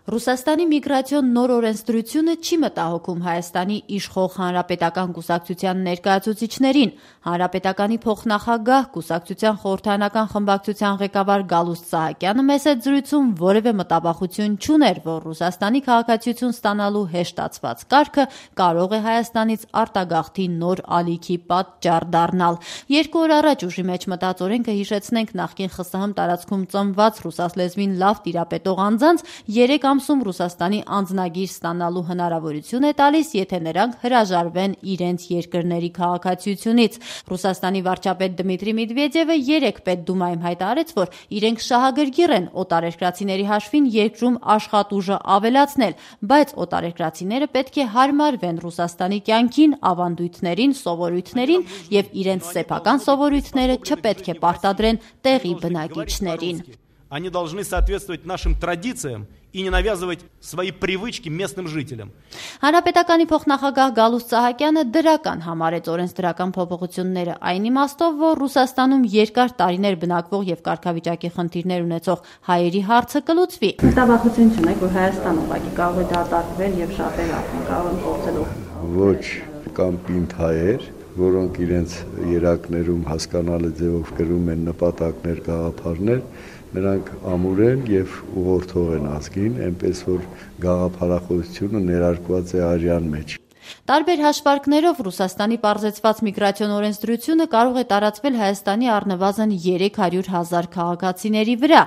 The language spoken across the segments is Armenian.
Ռուսաստանի միգրացիոն նոր օրենսդրությունը չի մտահոգում Հայաստանի իշխող հանրապետական կուսակցության ներկայացուցիչներին։ Հանրապետականի փոխնախագահ, կուսակցության խորհրդարանական խմբակցության ղեկավար Գալուստ Սահակյանը մեծ զրույցում որևէ մտավախություն չուներ, որ Ռուսաստանի քաղաքացիություն ստանալու հեշտացված կարգը կարող է Հայաստանից արտագաղթի նոր ալիքի պատճառ դառնալ։ 2 օր առաջ ուժի մեջ մտած օրենքը, հիշեցնենք, նախկին ԽՍՀՄ տարածքում ծնված ռուսասլեզվին լավ տիրապետող անձանց 3 ամսում Ռուսաստանի անձնագիր ստանալու հնարավորություն է տալիս, եթե նրանք հրաժարվեն իրենց երկրների քաղաքացիությունից։ Ռուսաստանի վարչապետ Դմիտրի Մեդվեդևը 3 Պետդումայում հայտարարեց, որ իրենք շահագրգիռ են օտարերկրացիների հաշվին երկրում աշխատուժը ավելացնել, բայց օտարերկրացիները պետք է հարմարվեն Ռուսաստանի կյանքին, ավանդույթներին, սովորույթներին եւ իրենց սեփական սովորույթները չպետք է պարտադրեն տեղի բնակիչներին։ Они должны соответствовать нашим традициям и не навязывать свои привычки местным жителям. Հանրապետականի փոխնախագահ Գալուստ Սահակյանը դրական համարեց օրենսդրական փոփոխությունները այն իմաստով, որ Ռուսաստանում երկար տարիներ բնակվող եւ կարգավիճակի խնդիրներ ունեցող հայերի հարցը կլուծվի։ Մտավախություն չունեք, որ Հայաստանը ուղղակի կարող է դատարկվել եւ շատերը արդեն կարող են փորձել։ Ոչ, կամ պինդ հայեր, որոնք իրենց երակներում հասկանալի ձևով գրում են նպատակներ, գաղափարներ, նրանք ամուր են եւ ուղղորդող են ազգին, այնպես որ գաղափարախոսությունը ներարկված է արյան մեջ։ Տարբեր հաշվարկներով Ռուսաստանի պարզեցված միգրացիոն օրենսդրությունը կարող է տարածվել Հայաստանի առնվազն 300,000 քաղաքացիների վրա։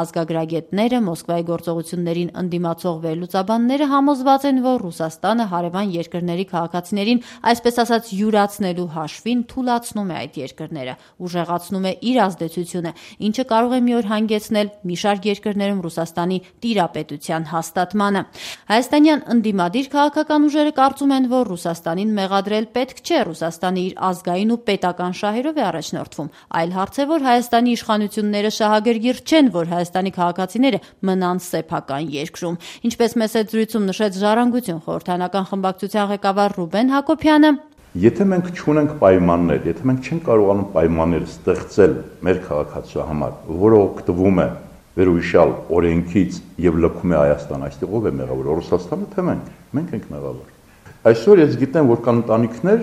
Ազգագրագետները, Մոսկվայի գործողություններին ընդդիմացող վերլուծաբանները համոզված են, որ Ռուսաստանը հարևան երկրների քաղաքացիներին, այսպես ասած, յուրացնելու հաշվին թուլացնում է այդ երկրները, ուժեղացնում է իր ազդեցությունը, ինչը կարող է մի օր հանգեցնել մի շարք երկրներում Ռուսաստանի տիրապետության հաստատմանը։ Հայաստանյան ընդդիմադիր քաղաքական ուժերը կարծում են, որ Ռուսաստանին մեղադրել պետք չէ, Ռուսաստանը իր ազգային ու պետական շահերով է առաջնորդվում։ Այլ հարց է, որ Հայաստանի իշխանությունները շահագրգիռ չեն, որ Հայաստանի քաղաքացիները մնան սեփական երկրում։ Ինչպես մեծ զրույցում նշեց Ժառանգություն խորհրդարանական խմբակցության ղեկավար Ռուբեն Հակոբյանը, եթե մենք չունենք պայմաններ, եթե մենք չենք կարողանում պայմաններ ստեղծել մեր քաղաքացու համար, որը օգտվում է վերոհիշյալ օրենքից եւ լքում է Հայաստան, այստեղ ով է մեղավոր, Ռուսաստանը թե մենք ենք մեղավոր։ Այսօր ես գիտեմ, որ կան ընտանիքներ,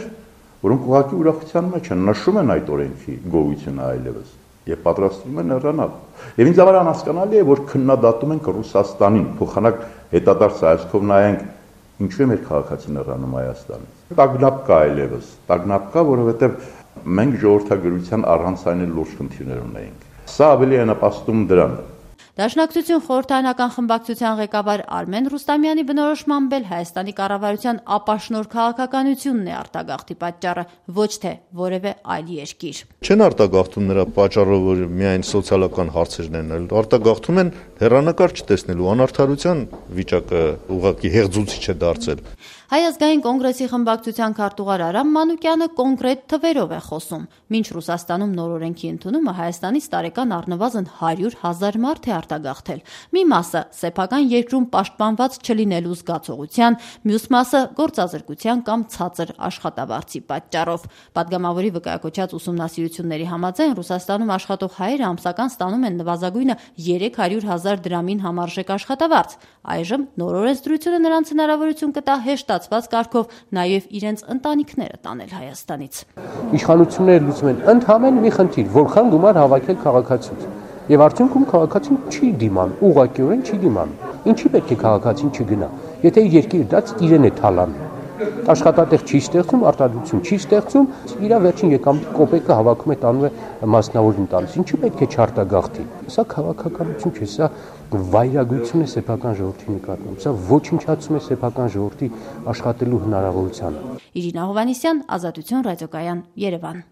որոնք ուղղակի ուրախության մեջ են, նշում են այդ օրենքի գոյությունը այլևս եւ պատրաստվում են հեռանալ։ Եվ ինձ համար անհասկանալի է, որ քննադատում ենք Ռուսաստանին, փոխանակ հետադարձ հայացքով նայենք, ինչու է մեր քաղաքացին հեռանում Հայաստանից։ Տագնապ կա այլևս, տագնապ կա, որովհետեւ մենք ժողովրդագրության առանցային լուրջ խնդիրներ ունենք։ Սա ավելի է նպաստում դրան։ Դաշնակցություն խորհրդարանական խմբակցության ղեկավար Արմեն Ռուստամյանի բնորոշմամբ էլ Հայաստանի կառավարության ապաշնոր քաղաքականությունն է արտագաղթի պատճառը, ոչ թե որևէ այլ երկիր։ Չեն արտագաղթում նրա պատճառով, որ միայն սոցիալական հարցերն են, արտագաղթում են հեռանկար չտեսնելու անարդարության վիճակը ուղղակի հեղձուցիչ է դարձել։ Հայ ազգային կոնգրեսի խմբակցության քարտուղար Արամ Մանուկյանը կոնկրետ թվերով է խոսում։ Մինչ Ռուսաստանում նոր օրենքի ընդունումը Հայաստանից տարեկան առնվազն 100,000 մարդ է արտագաղթել։ Մի մասը սեփական երկրում պաշտպանված չլինելու զգացողության, մյուս մասը գործազրկության կամ ցածր աշխատավարձի պատճառով։ Պատգամավորի վկայակոչած ուսումնասիրությունների համաձայն Ռուսաստանում աշխատող հայերը ամսական ստանում են նվազագույնը 300,000 դրամին համարժեք աշխատավարձ։ Այժմ նոր օրենսդրությունը նրանց հնարավորություն կտա հեշտացված կարգով նաև իրենց ընտանիքները տանել Հայաստանից։ Իշխանությունները լուծում են ընդհանրեն մի խնդիր, որքան գումար հավաքել քաղաքացուց։ Եվ արդյունքում քաղաքացին չի դիման, ուղղակիորեն չի դիման։ Ինչի պետք է քաղաքացին չգնա, եթե երկիրը դա իրեն է թալանում։ Աշխատատեղ չի ստեղծում, արտադրություն չի ստեղծում, իր վերջին եկամուտ կոպեկը հավաքում է տանում է մասնավոր ընտանիք։ Ինչու պետք է չարտագաղթի։ Սա քաղաքականություն չէ, սա վայրագություն է սեփական ժողովրդի նկատմամբ։ Սա ոչնչացում է սեփական ժողովրդի աշխատելու հնարավորությանը։ Իրինա Հովհաննիսյան, Ազատություն ռադիոկայան, Երևան։